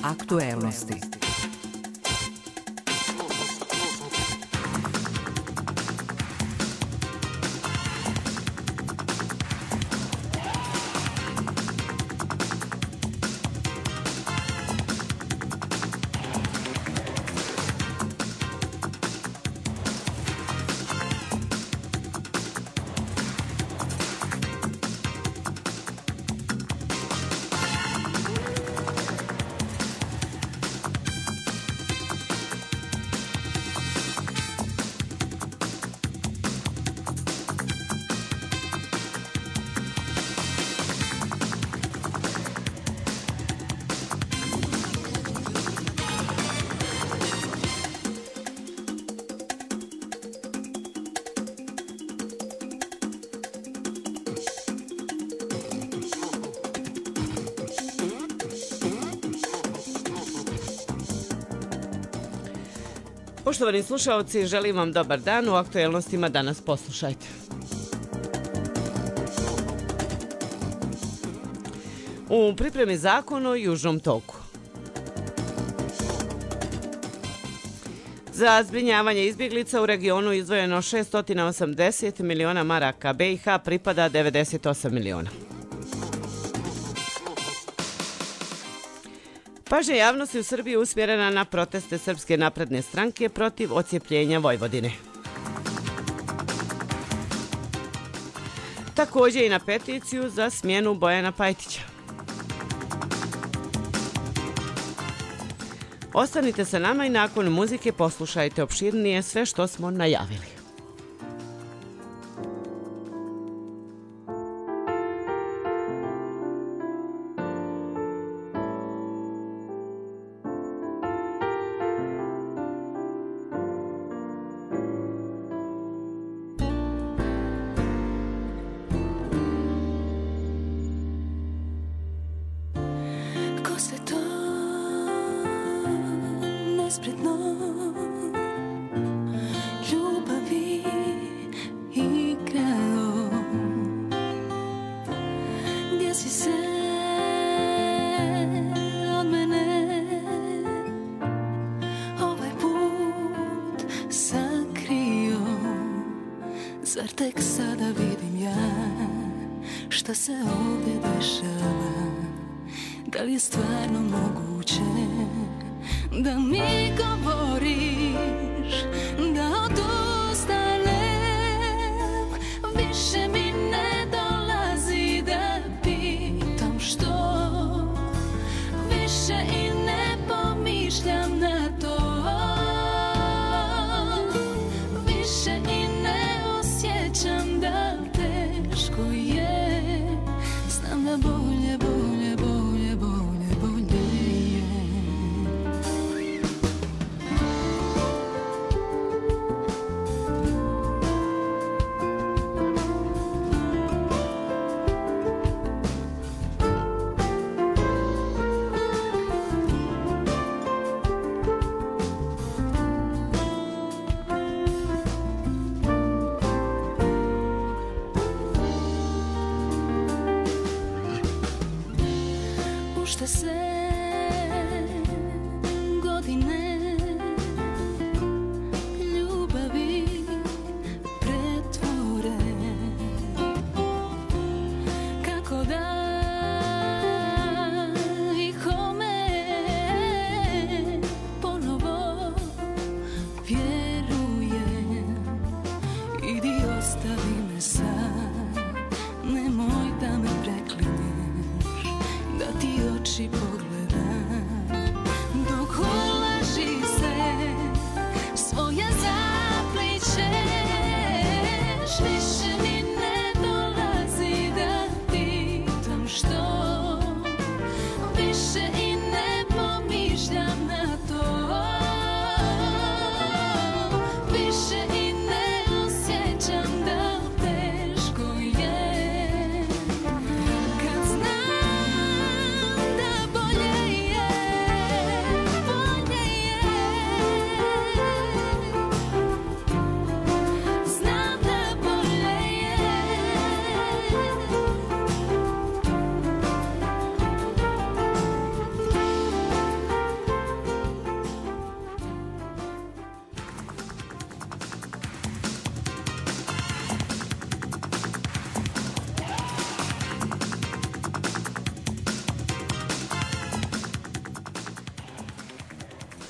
Aktuelnosti. Poštovani slušalci, želim vam dobar dan. U aktuelnostima danas poslušajte. U pripremi zakon o Južnom toku. Za zbrinjavanje izbjeglica u regionu izdvojeno 680 miliona maraka, BiH pripada 98 miliona. Pažnja javnosti u Srbiji je usmjerena na proteste Srpske napredne stranke protiv odcijepljenja Vojvodine. Također i na peticiju za smjenu Bojana Pajtića. Ostanite sa nama i nakon muzike poslušajte opširnije sve što smo najavili. Zar tek sada vidim ja šta se ovdje dešava? Da li je stvarno moguće da mi govoriš da odustanem? Više mi ne dolazi da pitam što, više i ne pomišljam na to, više i ne osjećam da teško je. Znam da bolje, bolje, bolje, bolje, bolje je. Šta se godine ljubavi pretvore, kako da i kome ponovo vjerujem. Idi ostavi me sad, nemoj da me preklinješ, da ti oči pogledaju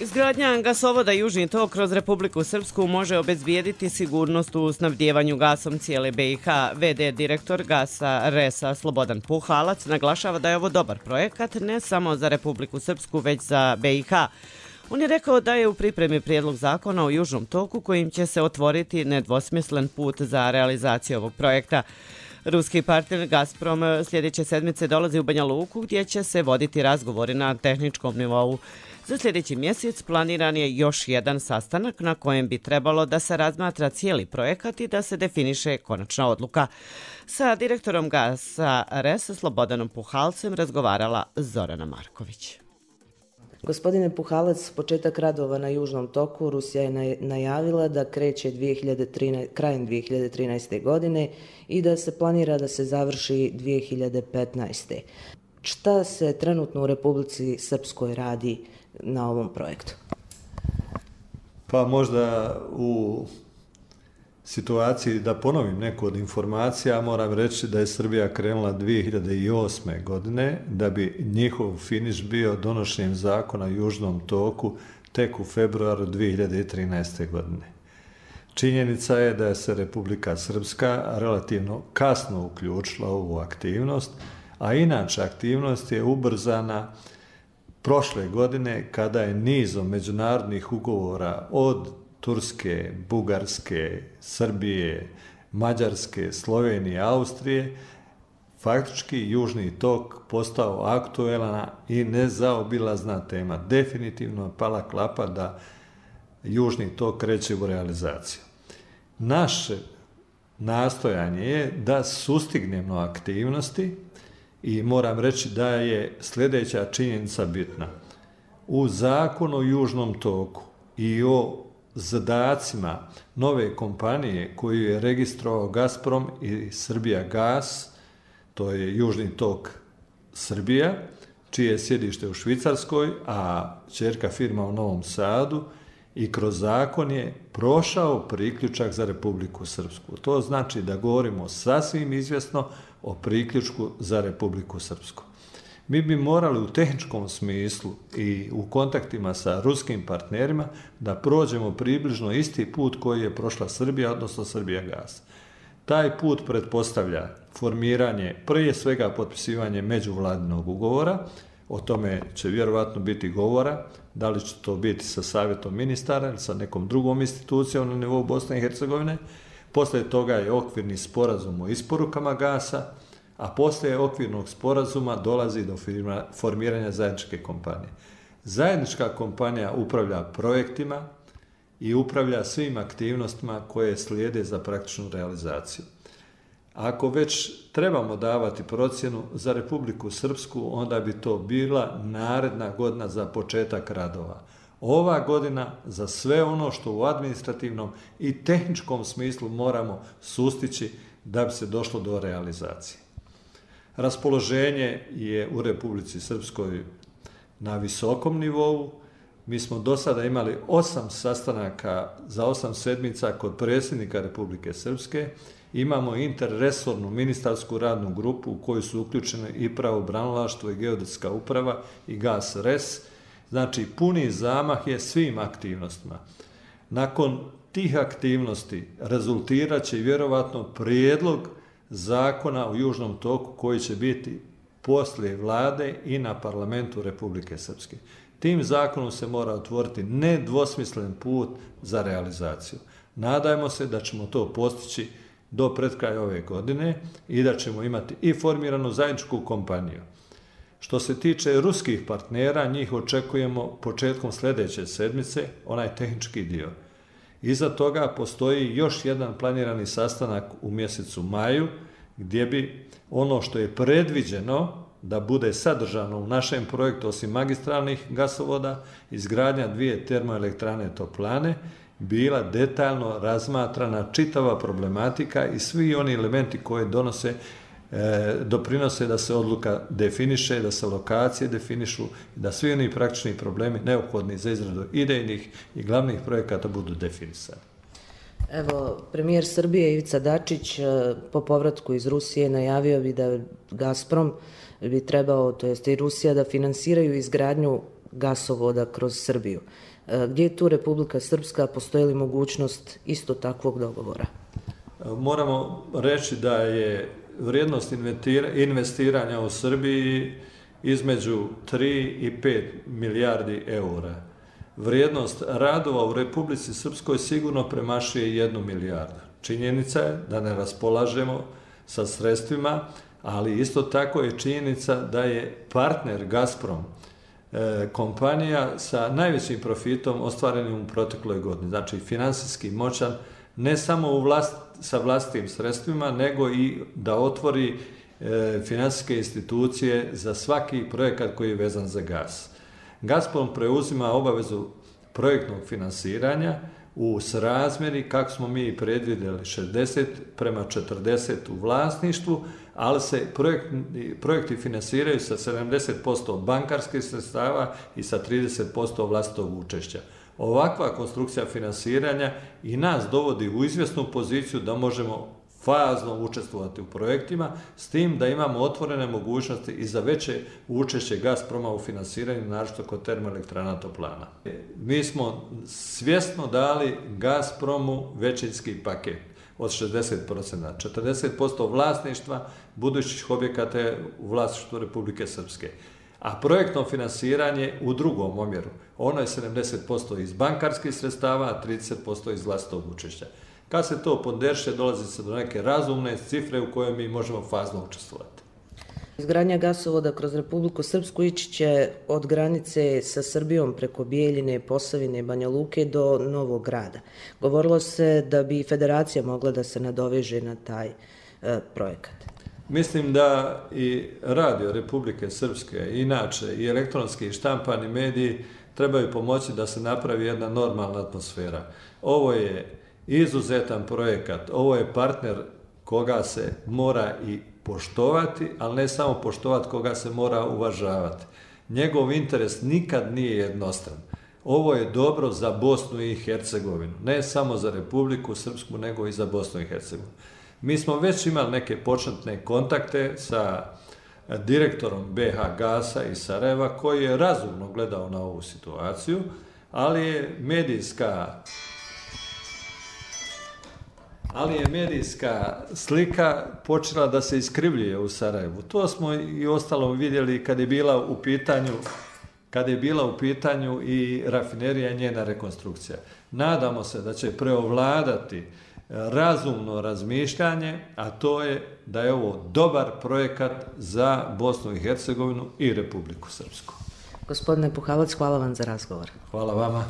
Izgradnja gasovoda Južni tok kroz Republiku Srpsku može obezbijediti sigurnost u snabdijevanju gasom cijele BiH. VD direktor Gasa RES-a Slobodan Puhalac naglašava da je ovo dobar projekat ne samo za Republiku Srpsku već za BiH. On je rekao da je u pripremi prijedlog zakona o Južnom toku kojim će se otvoriti nedvosmislen put za realizaciju ovog projekta. Ruski partner Gazprom sljedeće sedmice dolazi u Banja Luku gdje će se voditi razgovori na tehničkom nivou. Za sljedeći mjesec planiran je još jedan sastanak na kojem bi trebalo da se razmatra cijeli projekat i da se definiše konačna odluka. Sa direktorom Gasa RES Slobodanom Puhalcem razgovarala Zorana Marković. Gospodine Puhalac, početak radova na Južnom toku Rusija je najavila da kreće krajem 2013. godine i da se planira da se završi 2015. Šta se trenutno u Republici Srpskoj radi na ovom projektu? Pa možda u situaciji da ponovim neku od informacija, moram reći da je Srbija krenula 2008. godine, da bi njihov finiš bio donošenjem zakona o Južnom toku tek u februaru 2013. godine. Činjenica je da je se Republika Srpska relativno kasno uključila u ovu aktivnost, a inače aktivnost je ubrzana prošle godine kada je nizom međunarodnih ugovora od Turske, Bugarske, Srbije, Mađarske, Slovenije, Austrije, faktički Južni tok postao aktuelna i nezaobilazna tema. Definitivno pala klapa da Južni tok kreće u realizaciju. Naše nastojanje je da sustignemo aktivnosti i moram reći da je sljedeća činjenica bitna. U zakonu o Južnom toku i o zadacima nove kompanije koju je registrovao Gazprom i Srbija gas, to je Južni tok Srbija, čije je sjedište u Švicarskoj, a ćerka firma u Novom Sadu, i kroz zakon je prošao priključak za Republiku Srpsku. To znači da govorimo sasvim izvjesno o priključku za Republiku Srpsku. Mi bi morali u tehničkom smislu i u kontaktima sa ruskim partnerima da prođemo približno isti put koji je prošla Srbija, odnosno Srbija gas. Taj put pretpostavlja formiranje, prije svega potpisivanje međuvladinog ugovora, o tome će vjerovatno biti govora, da li će to biti sa savjetom ministara ili sa nekom drugom institucijom na nivou Bosne i Hercegovine. Poslije toga je okvirni sporazum o isporukama gasa, a poslije okvirnog sporazuma dolazi do formiranja zajedničke kompanije. Zajednička kompanija upravlja projektima i upravlja svim aktivnostima koje slijede za praktičnu realizaciju. Ako već trebamo davati procjenu za Republiku Srpsku, onda bi to bila naredna godina za početak radova. Ova godina za sve ono što u administrativnom i tehničkom smislu moramo sustići da bi se došlo do realizacije. Raspoloženje je u Republici Srpskoj na visokom nivou. Mi smo do sada imali 8 sastanaka za 8 sedmica kod predsjednika Republike Srpske. Imamo interresornu ministarsku radnu grupu u kojoj su uključene i pravobranilaštvo i geodetska uprava i Gas RES. Znači, puni zamah je svim aktivnostima. Nakon tih aktivnosti rezultirat će vjerovatno prijedlog zakona o Južnom toku koji će biti poslije vlade i na parlamentu Republike Srpske. Tim zakonom se mora otvoriti nedvosmislen put za realizaciju. Nadajmo se da ćemo to postići do pred kraja ove godine i da ćemo imati i formiranu zajedničku kompaniju. Što se tiče ruskih partnera, njih očekujemo početkom sljedeće sedmice, onaj tehnički dio. Iza toga postoji još jedan planirani sastanak u mjesecu maju, gdje bi ono što je predviđeno da bude sadržano u našem projektu, osim magistralnih gasovoda, izgradnja 2 termoelektrane Toplane, bila detaljno razmatrana čitava problematika i svi oni elementi koje doprinose da se odluka definiše, da se lokacije definišu, da svi oni praktični problemi neophodni za izradu idejnih i glavnih projekata budu definisani. Evo, premijer Srbije Ivica Dačić po povratku iz Rusije najavio bi da Gazprom bi trebao, to jest i Rusija, da finansiraju izgradnju gasovoda kroz Srbiju. Gdje je tu Republika Srpska, postoji li mogućnost isto takvog dogovora? Moramo reći da je vrijednost investiranja u Srbiji između 3 i 5 milijardi eura. Vrijednost radova u Republici Srpskoj sigurno premašuje 1 milijardu. Činjenica je da ne raspolažemo sa sredstvima, ali isto tako je činjenica da je partner Gazprom kompanija sa najvećim profitom ostvarenim u protekloj godini. Znači, finansijski moćan, ne samo sa vlastitim sredstvima, nego i da otvori finansijske institucije za svaki projekat koji je vezan za gas. Gazprom preuzima obavezu projektnog finansiranja u srazmjeri, kako smo mi predvidjeli, 60:40 u vlasništvu, ali se projekti finansiraju sa 70% bankarskih sredstava i sa 30% vlastitog učešća. Ovakva konstrukcija finansiranja i nas dovodi u izvjesnu poziciju da možemo fazno učestvovati u projektima, s tim da imamo otvorene mogućnosti i za veće učešće Gazproma u finansiranju, naročito kod termoelektrana toplana. Mi smo svjesno dali Gazpromu većinski paket od 60%. 40% vlasništva budućih objekata je u vlasništvu Republike Srpske. A projektno finansiranje u drugom omjeru. Ono je 70% iz bankarskih sredstava, a 30% iz vlastitog učešća. Kad se to ponderše, dolazi se do neke razumne cifre u kojoj mi možemo fazno učestvovati. Izgradnja gasovoda kroz Republiku Srpsku ići će od granice sa Srbijom preko Bijeljine, Posavine, Banja Luke do Novog Grada. Govorilo se da bi Federacija mogla da se nadoveže na taj projekat. Mislim da i radio Republike Srpske, inače i elektronski i štampani mediji trebaju pomoći da se napravi jedna normalna atmosfera. Ovo je izuzetan projekat, ovo je partner koga se mora i poštovati, ali ne samo poštovati, koga se mora uvažavati. Njegov interes nikad nije jednostran. Ovo je dobro za Bosnu i Hercegovinu, ne samo za Republiku Srpsku, nego i za Bosnu i Hercegovinu. Mi smo već imali neke početne kontakte sa direktorom BH Gasa iz Sarajeva, koji je razumno gledao na ovu situaciju, ali je medijska slika počela da se iskrivljuje u Sarajevu. To smo i ostalom vidjeli kad je bila u pitanju i rafinerija i njena rekonstrukcija. Nadamo se da će preovladati razumno razmišljanje, a to je da je ovo dobar projekat za Bosnu i Hercegovinu i Republiku Srpsku. Gospodine Puhalac, hvala vam za razgovor. Hvala vama.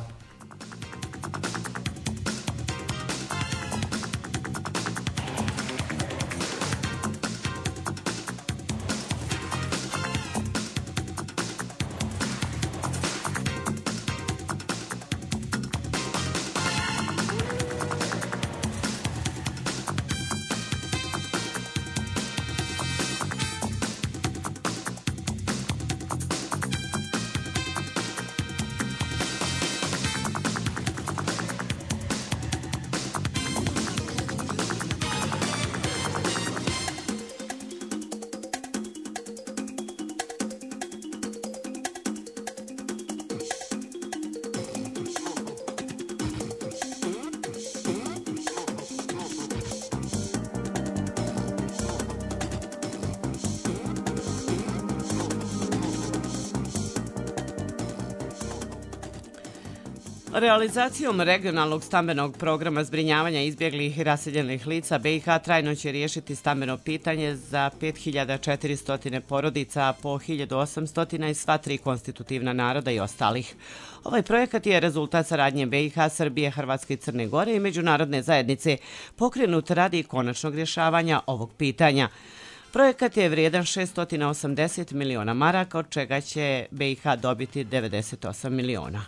Realizacijom regionalnog stambenog programa zbrinjavanja izbjeglih i raseljenih lica BiH trajno će riješiti stambeno pitanje za 5400 porodica, po 1800 i sva 3 konstitutivna naroda i ostalih. Ovaj projekat je rezultat saradnje BiH, Srbije, Hrvatske i Crne Gore i međunarodne zajednice pokrenut radi konačnog rješavanja ovog pitanja. Projekat je vrijedan 680 miliona maraka, od čega će BiH dobiti 98 miliona.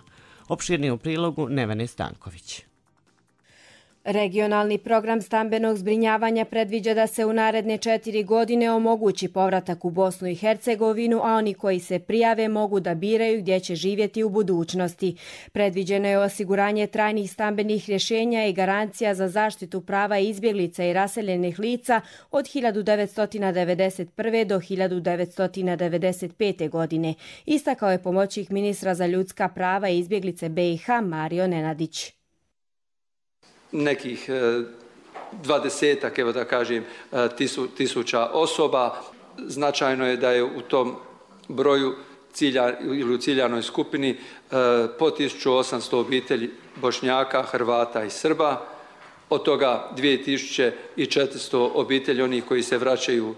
Opširnije u prilogu Nevene Stanković. Regionalni program stambenog zbrinjavanja predviđa da se u naredne 4 godine omogući povratak u Bosnu i Hercegovinu, a oni koji se prijave mogu da biraju gdje će živjeti u budućnosti. Predviđeno je osiguranje trajnih stambenih rješenja i garancija za zaštitu prava izbjeglica i raseljenih lica od 1991. do 1995. godine. Istakao je pomoćnik ministra za ljudska prava i izbjeglice BiH Mario Nenadić. Nekih 20-ak, evo da kažem, tisuća osoba. Značajno je da je u tom broju ili u ciljanoj skupini po 1800 obitelji Bošnjaka, Hrvata i Srba, od toga 2400 obitelji onih koji se vraćaju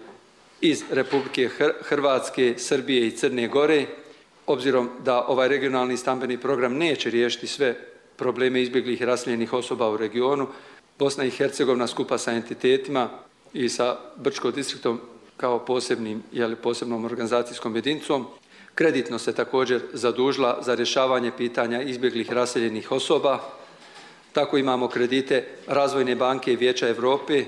iz Republike Hrvatske, Srbije i Crne Gore. Obzirom da ovaj regionalni stambeni program neće riješiti sve probleme izbjeglih i raseljenih osoba u regionu, Bosna i Hercegovina skupa sa entitetima i sa Brčko distriktom kao posebnom organizacijskom jedinicom kreditno se također zadužila za rješavanje pitanja izbjeglih i raseljenih osoba. Tako imamo kredite Razvojne banke i Vijeća Europe,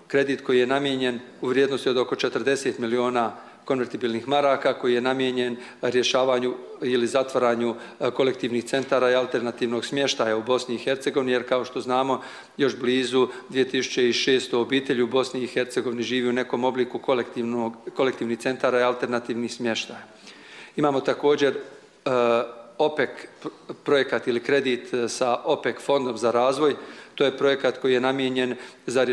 kredit koji je namijenjen u vrijednosti od oko 40 miliona konvertibilnih maraka, koji je namijenjen rješavanju ili zatvaranju kolektivnih centara i alternativnog smještaja u Bosni i Hercegovini, jer kao što znamo još blizu 2600 obitelji u Bosni i Hercegovini živi u nekom obliku kolektivnih centara i alternativnih smještaja. Imamo također OPEC projekat ili kredit sa OPEC fondom za razvoj. To je projekat koji je namijenjen za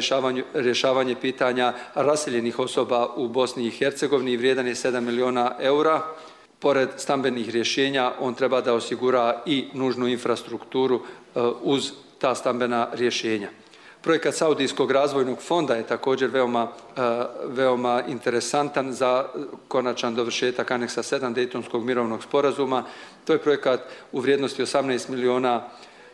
rješavanje pitanja raseljenih osoba u Bosni i Hercegovini i vrijedan je 7 miliona eura. Pored stambenih rješenja, on treba da osigura i nužnu infrastrukturu uz ta stambena rješenja. Projekat Saudijskog razvojnog fonda je također veoma interesantan za konačan dovršetak aneksa 7 Dejtonskog mirovnog sporazuma. To je projekat u vrijednosti 18 miliona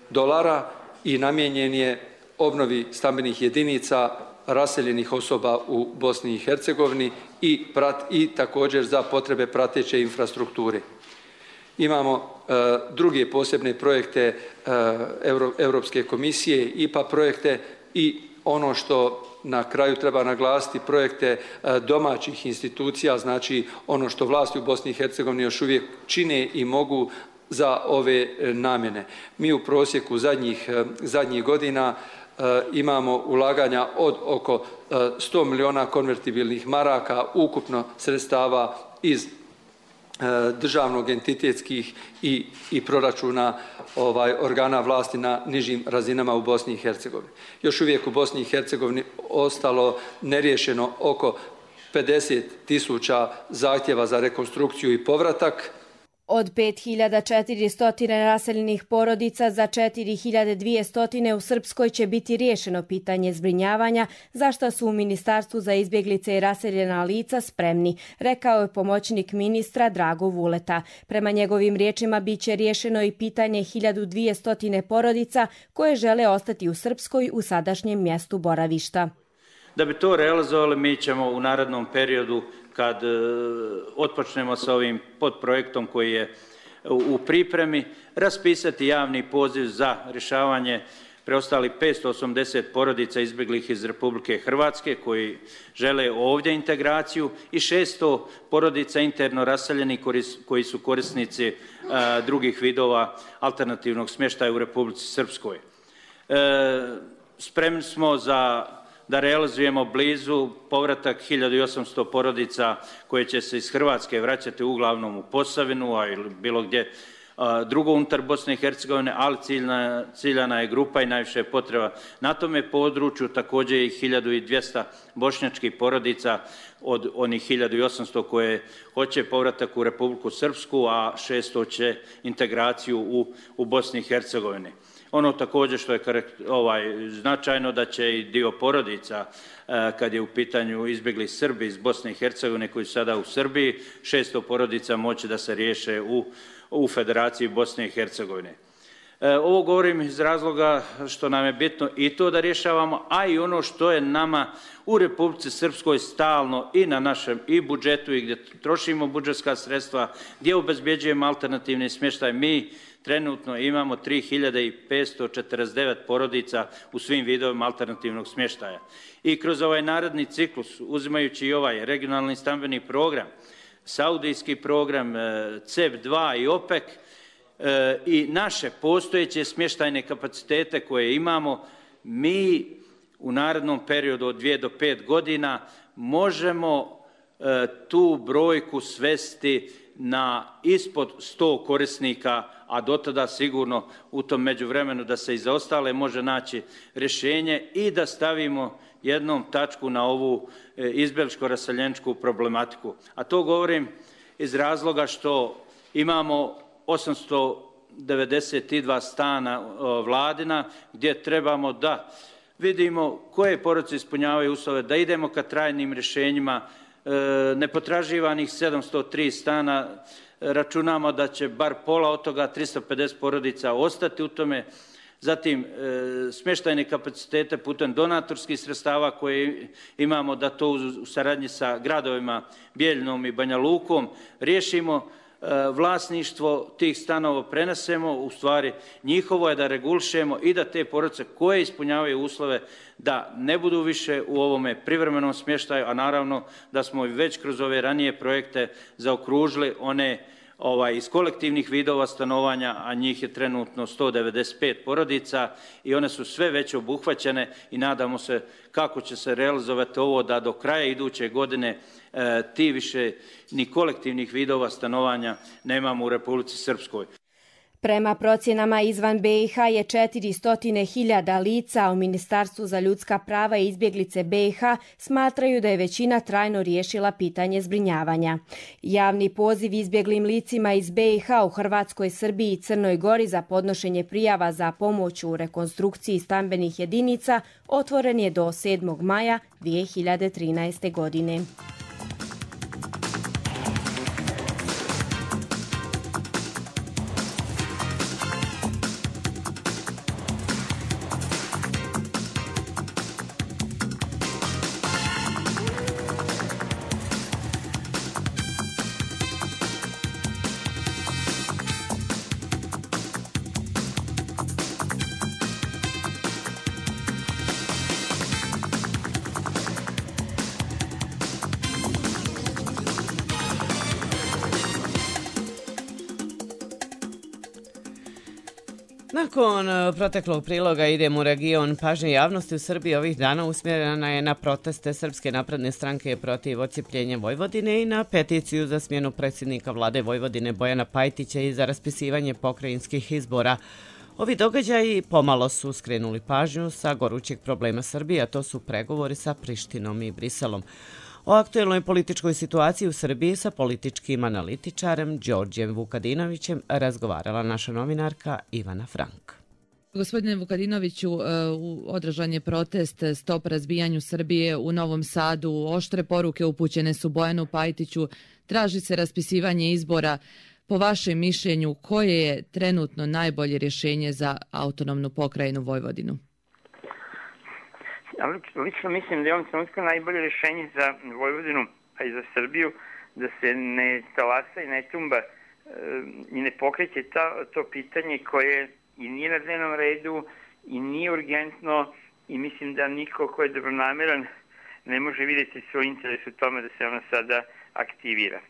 dolara i namijenjen je obnovi stambenih jedinica raseljenih osoba u Bosni i Hercegovini i također za potrebe prateće infrastrukture. Imamo druge posebne projekte Europske komisije, IPA projekte i ono što na kraju treba naglasiti, projekte domaćih institucija, znači ono što vlasti u Bosni i Hercegovini još uvijek čine i mogu za ove namjene. Mi u prosjeku zadnjih godina imamo ulaganja od oko 100 miliona konvertibilnih maraka, ukupno sredstava iz državnog, entitetskih i proračuna organa vlasti na nižim razinama u Bosni i Hercegovini. Još uvijek u Bosni i Hercegovini ostalo neriješeno oko 50.000 zahtjeva za rekonstrukciju i povratak. Od 5400 raseljenih porodica za 4200 u Srpskoj će biti riješeno pitanje zbrinjavanja, za što su u Ministarstvu za izbjeglice i raseljena lica spremni, rekao je pomoćnik ministra Drago Vuleta. Prema njegovim riječima biće riješeno i pitanje 1200 porodica koje žele ostati u Srpskoj u sadašnjem mjestu boravišta. Da bi to realizovali, mi ćemo u narednom periodu, kad otpočnemo sa ovim podprojektom koji je u pripremi, raspisati javni poziv za rješavanje preostalih 580 porodica izbjeglih iz Republike Hrvatske koji žele ovdje integraciju i 600 porodica interno raseljenih koji su korisnici drugih vidova alternativnog smještaja u Republici Srpskoj. Spremni smo da realizujemo blizu povratak 1800 porodica koje će se iz Hrvatske vraćati uglavnom u Posavinu, a ili bilo gdje drugo unutar Bosne i Hercegovine, ali ciljana je grupa i najviše je potreba na tome području. Također i 1200 bošnjačkih porodica od onih 1800 koje hoće povratak u Republiku Srpsku, a 600 će integraciju u Bosni i Hercegovini. Ono također što je značajno da će i dio porodica, kad je u pitanju izbjegli Srbi iz Bosne i Hercegovine koji su sada u Srbiji, 600 porodica moći da se riješe u Federaciji Bosne i Hercegovine. Ovo govorim iz razloga što nam je bitno i to da rješavamo, a i ono što je nama u Republici Srpskoj stalno i na našem i budžetu i gdje trošimo budžetska sredstva, gdje obezbjeđujemo alternativni smještaj. Mi trenutno imamo 3549 porodica u svim vidovima alternativnog smještaja. I kroz ovaj naredni ciklus, uzimajući i ovaj regionalni stambeni program, saudijski program, CEP2 i OPEC, i naše postojeće smještajne kapacitete koje imamo, mi u narednom periodu od 2 do 5 godina možemo tu brojku svesti na ispod 100 korisnika, a do tada sigurno u tom međuvremenu da se i za ostale može naći rješenje i da stavimo jednom tačku na ovu izbjegličko-raseljeničku problematiku. A to govorim iz razloga što imamo 892 stana vladina gdje trebamo da vidimo koje porodice ispunjavaju uslove, da idemo ka trajnim rješenjima. Nepotraživanih 703 stana, računamo da će bar pola od toga 350 porodica ostati u tome. Zatim smještajne kapacitete putem donatorskih sredstava koje imamo, da to u saradnji sa gradovima Bijeljinom i Banja Lukom riješimo. Vlasništvo tih stanova prenesemo, u stvari njihovo je da regulišemo i da te porodice koje ispunjavaju uslove da ne budu više u ovome privremenom smještaju, a naravno da smo već kroz ove ranije projekte zaokružili one iz kolektivnih vidova stanovanja, a njih je trenutno 195 porodica i one su sve već obuhvaćene i nadamo se kako će se realizovati ovo da do kraja iduće godine ti više ni kolektivnih vidova stanovanja nemamo u Republici Srpskoj. Prema procjenama izvan BiH je 400.000 lica, a u Ministarstvu za ljudska prava i izbjeglice BiH smatraju da je većina trajno riješila pitanje zbrinjavanja. Javni poziv izbjeglim licima iz BiH u Hrvatskoj, Srbiji i Crnoj Gori za podnošenje prijava za pomoć u rekonstrukciji stambenih jedinica otvoren je do 7. maja 2013. godine. Nakon proteklog priloga idemo u region. Pažnja javnosti u Srbiji ovih dana usmjerena je na proteste Srpske napredne stranke protiv odcijepljenja Vojvodine i na peticiju za smjenu predsjednika vlade Vojvodine Bojana Pajtića i za raspisivanje pokrajinskih izbora. Ovi događaji pomalo su skrenuli pažnju sa gorućeg problema Srbije, a to su pregovori sa Prištinom i Briselom. O aktuelnoj političkoj situaciji u Srbiji sa političkim analitičarem Đorđem Vukadinovićem razgovarala naša novinarka Ivana Frank. Gospodine Vukadinoviću, održan je protest Stop razbijanju Srbije u Novom Sadu. Oštre poruke upućene su Bojanu Pajtiću. Traži se raspisivanje izbora. Po vašem mišljenju, koje je trenutno najbolje rješenje za autonomnu pokrajinu Vojvodinu? Lično mislim da je ovom trenutku najbolje rješenje za Vojvodinu, a i za Srbiju, da se ne talasa i ne tumba i ne pokreće to pitanje koje i nije na dnevnom redu i nije urgentno i mislim da niko ko je dobronameran ne može vidjeti svoj interes u tome da se ona sada aktivira.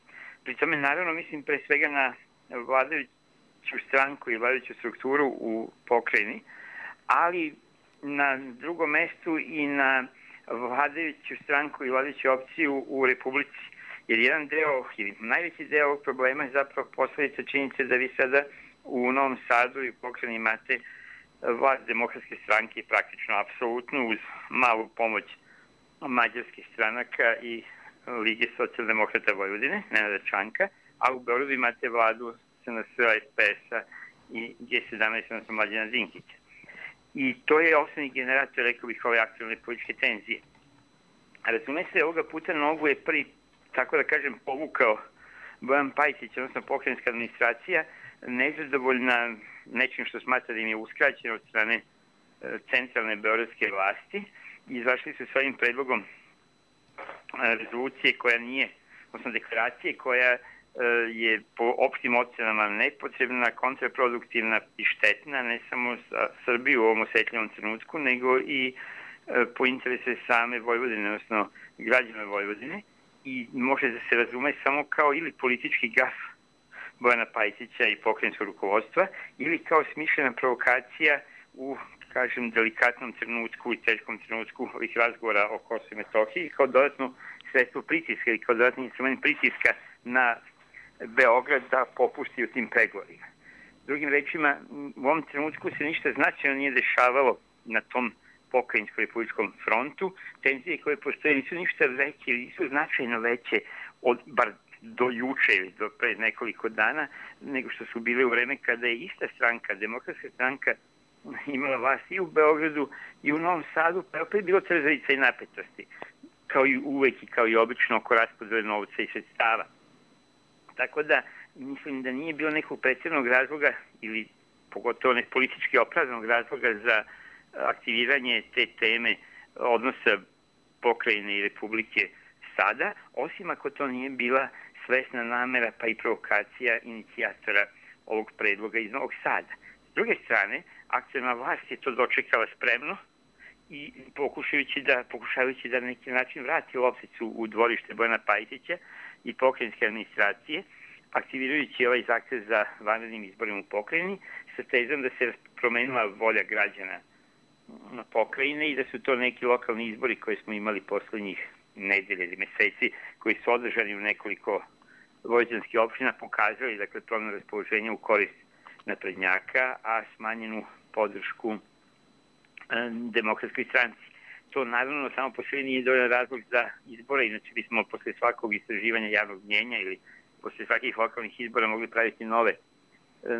Pri tome naravno mislim pre svega na vladajuću stranku i vladajuću strukturu u pokrajini, ali na drugom mestu i na vladajuću stranku i vladajuću opciju u Republici. Jer jedan deo, ili najveći deo ovog problema je zapravo posljedica činjenice da vi sada u Novom Sadu i u pokrajini imate vlast demokratske stranke i praktično apsolutno uz malu pomoć mađarskih stranaka i Lige socijaldemokrata Vojvodine, Nenada Čanka, a u Beogradu imate vladu SNS-a, SPS-a i G17, odnosno Mlađana Dinkića. I to je osnovni generator, rekao bih, ove aktualne političke tenzije. Razume se, ovoga puta nogu je prvi, tako da kažem, povukao Bojan Pajtić, odnosno pokrajinska administracija, nezadovoljna nečim što smatra da im je uskraćeno od strane centralne beogradske vlasti. Izašli su s ovim predlogom rezolucije koja nije, odnosno deklaracije koja je po opštim ocenama nepotrebna, kontraproduktivna i štetna, ne samo za Srbiju u ovom osetljivom trenutku, nego i po interese same Vojvodine, odnosno građana Vojvodine, i može da se razume samo kao ili politički gaf Bojana Pajtića i pokrajinskog rukovodstva, ili kao smišljena provokacija u, kažem, delikatnom trenutku i teškom trenutku ovih razgovora o Kosovu i Metohiji, kao dodatno sredstvo pritiska ili kao dodatni instrument pritiska na Beograd da popusti u tim pregovorima. Drugim rečima, u ovom trenutku se ništa značajno nije dešavalo na tom pokrajinsko-republičkom frontu. Tenzije koje postoje nisu ništa veće ili nisu značajno veće od, bar do juče ili do pre nekoliko dana, nego što su bile u vreme kada je ista stranka, Demokratska stranka, imala vlast i u Beogradu i u Novom Sadu, pa je opet bilo trzavica i napetosti, kao i uvek i kao i obično oko raspodele novca i sredstava. Tako da mislim da nije bilo nekog pretjernog razloga ili pogotovo ne politički opravdanog razloga za aktiviranje te teme odnosa pokrajine i republike sada, osim ako to nije bila svesna namera pa i provokacija inicijatora ovog predloga iz Novog Sada. S druge strane, aktuelna vlast je to dočekala spremno i pokušavajući da na neki način vrati lopticu u dvorište Bojana Pajtića i pokrajinske administracije, aktivirajući ovaj zahtev za vanrednim izborima u pokrajini, sa tezom da se promenila volja građana na pokrajine i da su to neki lokalni izbori koje smo imali poslednjih nedelje ili meseci, koji su održani u nekoliko vojvođanskih opština, pokazali dakle promenu raspoloženja u korist naprednjaka, a smanjenu podršku Demokratskoj stranci. To naravno samo po sebi nije dovoljan razlog za izbore, inače bismo posle svakog istraživanja javnog mnjenja ili posle svakih lokalnih izbora mogli praviti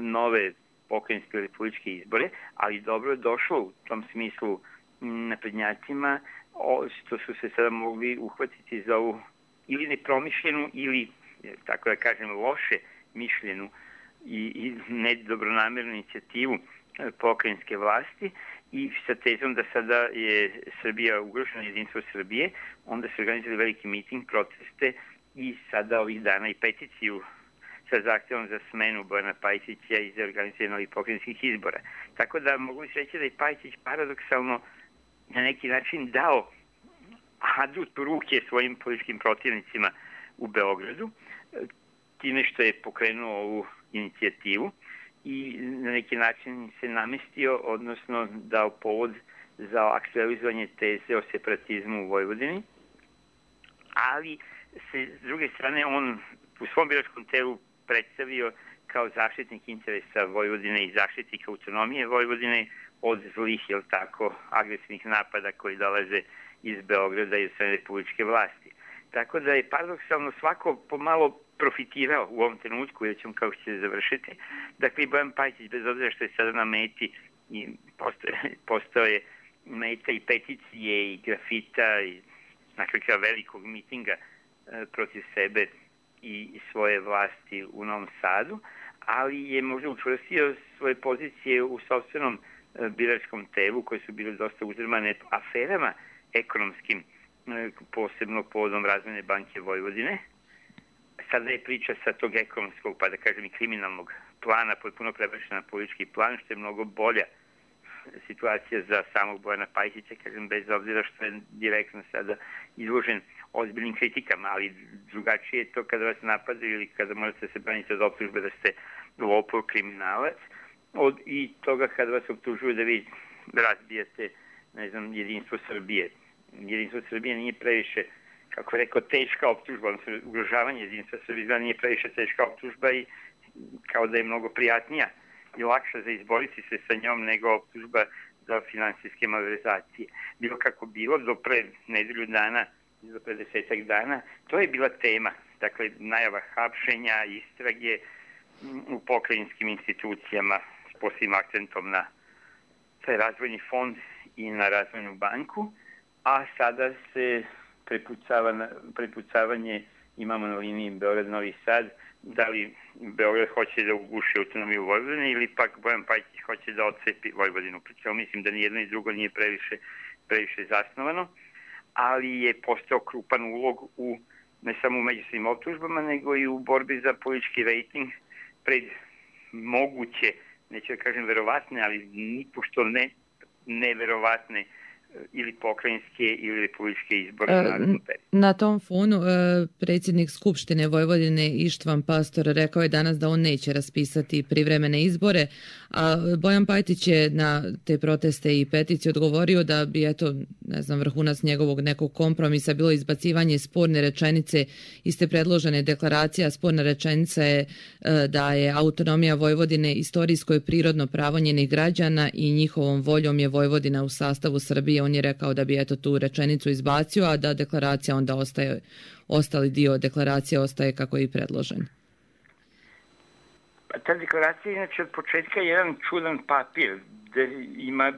nove pokrajinske ili republičke izbore, ali dobro je došlo u tom smislu naprednjacima što su se sada mogli uhvatiti za ovu ili nepromišljenu ili, tako da kažem, loše mišljenu i nedobronamernu inicijativu pokrajinske vlasti i sa tezom da sada je Srbija ugrožena, jedinstvo Srbije, onda su organizovali veliki miting, proteste i sada ovih dana i peticiju sa zahtjevom za smenu Bojana Pajtića i za organizovanje novih pokrajinskih izbora. Tako da mogu se reći da je Pajtić paradoksalno na neki način dao adut u ruke svojim političkim protivnicima u Beogradu, time što je pokrenuo ovu inicijativu i na neki način se namestio, odnosno dao povod za aktualizovanje teze o separatizmu u Vojvodini, ali se s druge strane on u svom biračkom telu predstavio kao zaštitnik interesa Vojvodine i zaštitnik autonomije Vojvodine od zlih, jel tako, agresivnih napada koji dolaze iz Beograda i od strane republičke vlasti. Tako da je paradoksalno svako pomalo profitirao u ovom trenutku, jer ćemo kako će završiti. Dakle, Bojan Pajtić, bez obzira što je sada na meti, i postao je meta i peticije i grafita i nakon velikog mitinga protiv sebe i svoje vlasti u Novom Sadu, ali je možda učvrstio svoje pozicije u sopstvenom biračkom telu, koje su bile dosta uzdrmane aferama ekonomskim, posebno povodom Razvojne banke Vojvodine. Sada je priča sa tog ekonomskog, pa da kažem i kriminalnog plana, potpuno prebačena na politički plan, što je mnogo bolja situacija za samog Bojana Pajtića, kažem, bez obzira što je direktno sada izložen ozbiljnim kritikama, ali drugačije je to kada vas napadaju ili kada možete se braniti od optužbe da ste lopov, kriminalac, i toga kada vas optužuju da vi razbijate, ne znam, jedinstvo Srbije. Jedinstvo Srbije nije previše, kako je rekao, teška optužba, odnosno ugrožavanje jedinstva Srbije nije previše teška optužba i kao da je mnogo prijatnija i lakša za izboriti se sa njom nego optužba za finansijske malverzacije. Bilo kako bilo, do pre nedelju dana, do pre 10 dana, to je bila tema. Dakle, najava hapšenja, istrage u pokrajinskim institucijama s posebnim akcentom na taj razvojni fond i na razvojnu banku, a sada se prepucavanje imamo na liniji Beograd-Novi Sad, da li Beograd hoće da uguši autonomiju Vojvodine ili pak Bojan Pajtić hoće da odcepi Vojvodinu. Pričemu mislim da ni jedno ni drugo nije previše zasnovano, ali je postao krupan ulog ne samo u međusobnim optužbama, nego i u borbi za politički rejting pred moguće, neću da kažem verovatne, ali nipošto neverovatne ili pokrajinske ili republičke izbore. Na tom fonu predsjednik Skupštine Vojvodine Ištvan Pastor rekao je danas da on neće raspisati privremene izbore, a Bojan Pajtić je na te proteste i peticiju odgovorio da bi, vrhunac njegovog nekog kompromisa bilo izbacivanje sporne rečenice iz te predložene deklaracije, a sporna rečenica je da je autonomija Vojvodine istorijsko i prirodno pravo njenih građana i njihovom voljom je Vojvodina u sastavu Srbije. On je rekao da bi tu rečenicu izbacio, a da deklaracija onda ostali dio deklaracije ostaje kako je i predložen. Ta deklaracija inače od početka je jedan čudan papir gde ima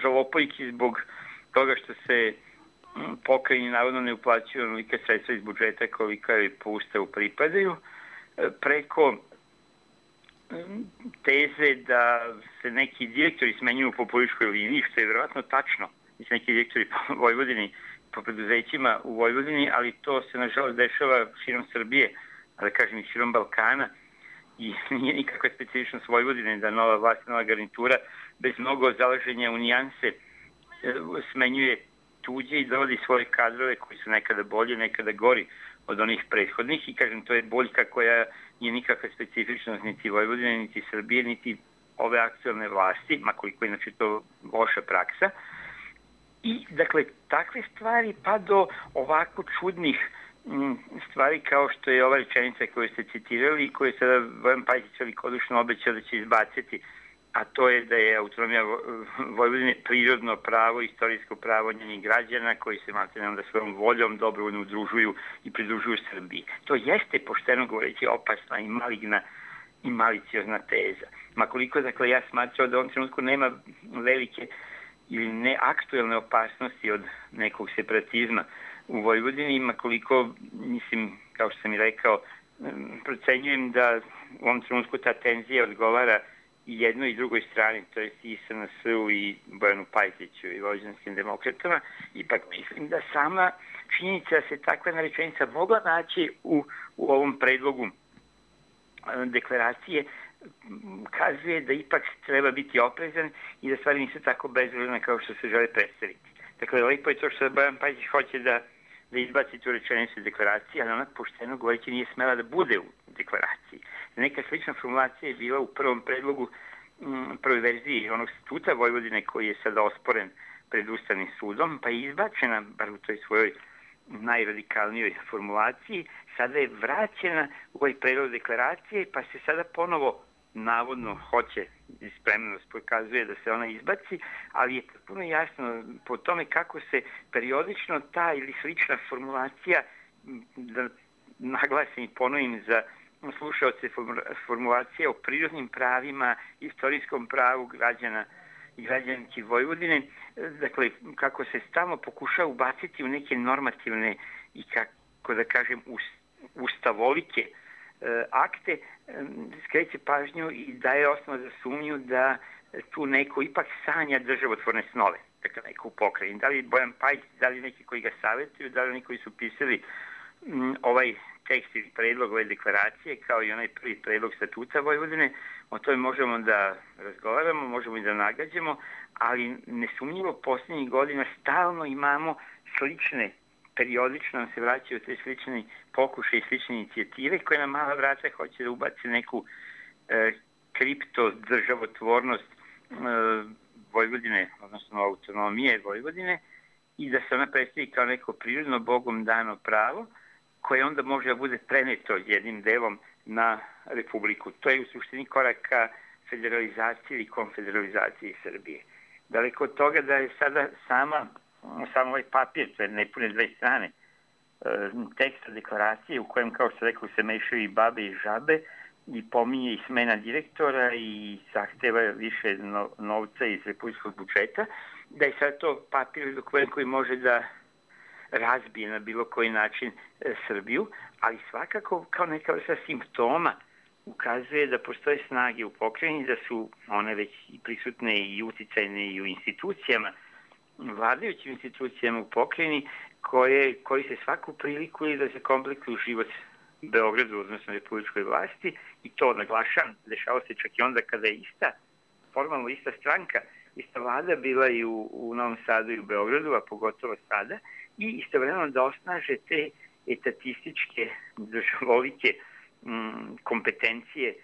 žalopojki zbog toga što se pokrajini navodno ne uplaćuju onolika sredstva iz budžeta kolika je po ustavu pripadaju, preko teze da se neki direktori smenjuju po političkoj liniji, što je verovatno tačno. Mislim, neki direktori po Vojvodini, po preduzećima u Vojvodini, ali to se nažalost dešava širom Srbije, a da kažem i širom Balkana, i nije nikakva specifičnost Vojvodine da nova vlast, nova garnitura bez mnogo zalaženja u nijanse smenjuje tuđe i dovodi svoje kadrove koji su nekada bolji, nekada gori od onih prethodnih, i kažem, to je boljka koja nije nikakva specifičnost niti Vojvodine, niti Srbije, niti ove aktualne vlasti, makoliko inače to loša praksa. I, dakle, takve stvari pa do ovako čudnih stvari kao što je ova rečenica koju ste citirali i koju je sada Bojan Pajtić velikodušno obećao da će izbaciti, a to je da je autonomija Vojvodine prirodno pravo, istorijsko pravo njenih građana koji se maltene da svojom voljom dobrovoljno udružuju i pridružuju Srbiji. To jeste, pošteno govoreći, opasna i maligna i maliciozna teza. Makoliko, dakle, ja smatrao da u ovom trenutku nema velike ili neaktuelne opasnosti od nekog separatizma u Vojvodini, makoliko, mislim, kao što sam i rekao, procenjujem da u ovom trenutku ta tenzija odgovara i jednoj i drugoj strani, to je i SNS-u i Bojanu Pajtiću i vojvođanskim demokratama. Ipak mislim da sama činjenica da se takva rečenica mogla naći u ovom predlogu deklaracije kazuje da ipak treba biti oprezan i da stvari nisu tako bezvredne kao što se žele predstaviti. Dakle, lepo je to što Bojan Pajtić hoće da izbaci tu rečenicu deklaracije, ali ona, pošteno govoreći, nije smela da bude u deklaraciji. Neka slična formulacija je bila u prvom predlogu, prvoj verziji onog statuta Vojvodine koji je sada osporen pred Ustavnim sudom, pa je izbačena, bar u toj svojoj najradikalnijoj formulaciji, sada je vraćena u ovaj predlog deklaracije, pa se sada ponovo navodno hoće i spremnost pokazuje da se ona izbaci, ali je potpuno jasno po tome kako se periodično ta ili slična formulacija, da naglasim i ponovim za slušaoce, formulacija o prirodnim pravima, istorijskom pravu građana i građanki Vojvodine, dakle, kako se stalno pokušava ubaciti u neke normativne i, kako da kažem, ustavolike akte, skreće pažnju i daje osnovu za sumnju da tu neko ipak sanja državotvorne snove, dakle neko u pokrajini. Da li Bojan Pajtić, da li neki koji ga savjetuju, da li neki koji su pisali ovaj tekst ili predlog ove deklaracije, kao i onaj prvi predlog statuta Vojvodine, o tome možemo da razgovaramo, možemo i da nagađamo, ali nesumnjivo posljednjih godina stalno imamo slične, periodično nam se vraćaju te slične pokušaje i slične inicijative koje na mala vrata hoće da ubaci neku kripto državotvornost Vojvodine, odnosno autonomije Vojvodine, i da se ona predstavi kao neko prirodno Bogom dano pravo koje onda može da bude preneto jednim delom na Republiku. To je u suštini korak ka federalizaciji ili konfederalizaciji Srbije. Daleko od toga da je sada samo ovaj papir, to je nepune 2 strane, teksta deklaracije u kojem, kao što rekao, se mešaju i babe i žabe i pominje i smena direktora i zahteva više novca iz republičkog budžeta, da je sad to papir dokument koji može da razbije na bilo koji način Srbiju, ali svakako kao neka vrsta simptoma ukazuje da postoje snage u pokrajini, da su one već prisutne i uticajne i u institucijama, vladajućim institucijama u pokrajini, koje koriste svaku priliku i da se komplikuju život Beogradu, odnosno republičkoj vlasti, i to naglašavam, dešava se čak i onda kada je formalno ista stranka, ista vlada bila i u Novom Sadu i u Beogradu, a pogotovo sada, i istovremeno da osnaže te etatističke, državovike kompetencije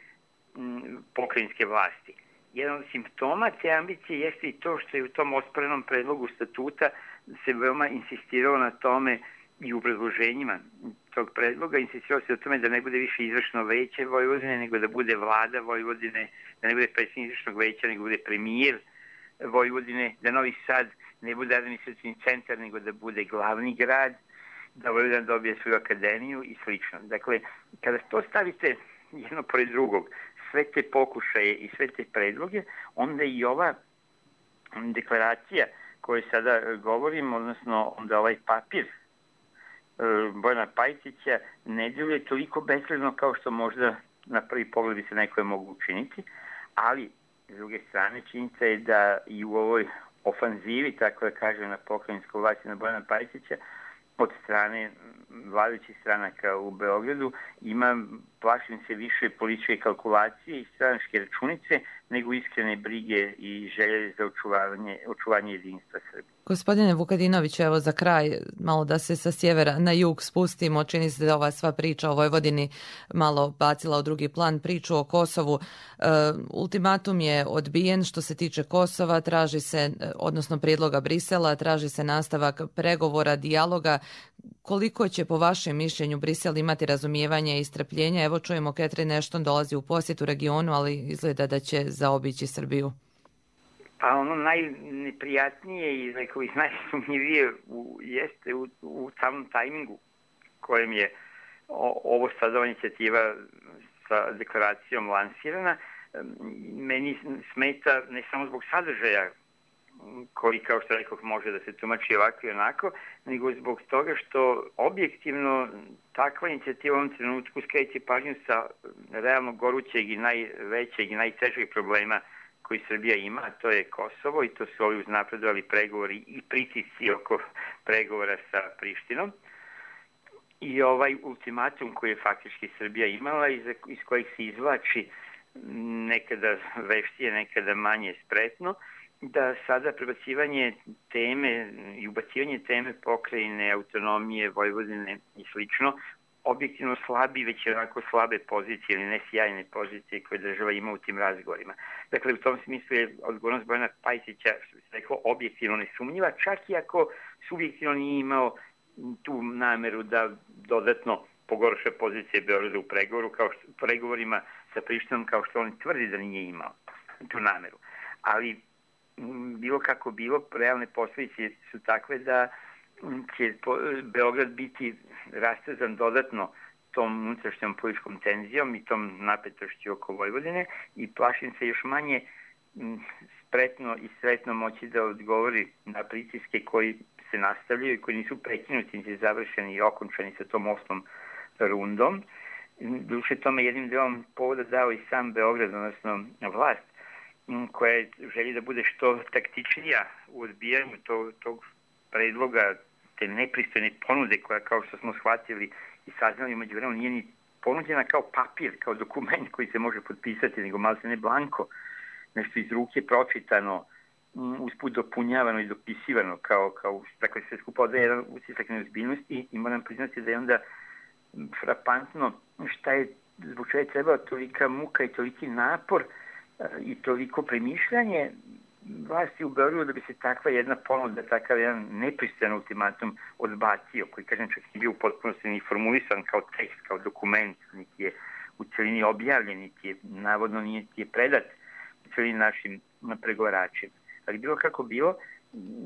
pokrajinske vlasti. Jedan od simptoma te ambicije jeste i to što je u tom osporenom predlogu statuta se veoma insistiralo na tome i u predloženjima tog predloga, insistiralo se o tome da ne bude više izvršno veće Vojvodine, nego da bude vlada Vojvodine, da ne bude predsjednik izvršnog veća, nego bude premijer Vojvodine, da Novi Sad ne bude administrativni centar, nego da bude glavni grad, da Vojvodina dobije svoju akademiju i slično. Dakle, kada to stavite jedno pored drugog, sve te pokušaje i sve te predloge, onda i ova deklaracija koju sada govorim, odnosno onda ovaj papir Bojana Pajtića ne djeluje toliko besledno kao što možda na prvi pogled bi se nekoj mogu učiniti, ali s druge strane činjenica je da i u ovoj ofanzivi, tako da kažem, na pokrajinsku vlast na Bojana Pajtića od strane vladajućih stranaka u Beogradu ima, plašim se, više političke kalkulacije i stranačke računice nego iskrene brige i želje za očuvanje jedinstva Srbije. Gospodine Vukadinoviću, evo za kraj, malo da se sa sjevera na jug spustimo. Čini se da ova sva priča o Vojvodini malo bacila u drugi plan priču o Kosovu. Ultimatum je odbijen što se tiče Kosova, traži se, odnosno prijedloga Brisela, traži se nastavak pregovora, dijaloga. Koliko će po vašem mišljenju Brisel imati razumijevanja i strpljenja? Evo čujemo, Catherine Ashton dolazi u posjetu regionu, ali izgleda da će zaobići Srbiju. Pa ono najneprijatnije i rekao bih najsumnjivije jeste u samom tajmingu kojem je ovo sada inicijativa sa deklaracijom lansirana. Meni smeta ne samo zbog sadržaja koji, kao što rekao, može da se tumači ovako i onako, nego zbog toga što objektivno takva inicijativa u ovom trenutku skreće pažnju sa realno gorućeg i najvećeg i najtežeg problema koji Srbija ima, a to je Kosovo, i to su ovi uznapredovali pregovori i pritisci oko pregovora sa Prištinom. I ovaj ultimatum koji je faktički Srbija imala, iz kojeg se izvlači nekada veštije, nekada manje spretno, da sada prebacivanje teme i ubacivanje teme pokrajine, autonomije, Vojvodine i slično, objektivno slabi, već onako slabe pozicije ili ne sjajne pozicije koje država ima u tim razgovorima. Dakle, u tom smislu je odgovornost Bojana Pajtića, što bi se rekao, objektivno nesumnjiva, čak i ako subjektivno nije imao tu nameru da dodatno pogorša pozicije Beograda u pregovorima sa Prištinom, kao što on tvrdi da nije imao tu nameru. Ali bilo kako bilo, realne posljedice su takve da će Beograd biti rastezan dodatno tom unutrašnjom političkom tenzijom i tom napetošću oko Vojvodine i plašim se još manje spretno i sretno moći da odgovori na pritiske koji se nastavljaju i koji nisu prekinuti, niti završeni i okončani sa tom 8. rundom. Duše tome jednim delom povoda dao i sam Beograd, odnosno vlast, koja želi da bude što taktičnija u odbijanju tog predloga, te nepristojne ponude koja, kao što smo shvatili i saznali umeđu vremenu, nije ni ponuđena kao papir, kao dokument koji se može potpisati, nego malo se ne blanko, nešto iz ruke pročitano, usput dopunjavano i dopisivano, dakle sve skupa odaje jedan utisak neozbiljnosti i moram priznati da je onda frapantno zbog čega je trebao tolika muka i toliki napor i toliko premišljanje vlasti u Beogradu da bi se takva jedna ponuda, takav jedan nepristojan ultimatum odbacio, koji, kažem, čak je bio u potpunosti ni formulisan kao tekst, kao dokument, niti je u celini objavljen, niti je, navodno, niti je predat u celini našim pregovaračima. Ali bilo kako bilo,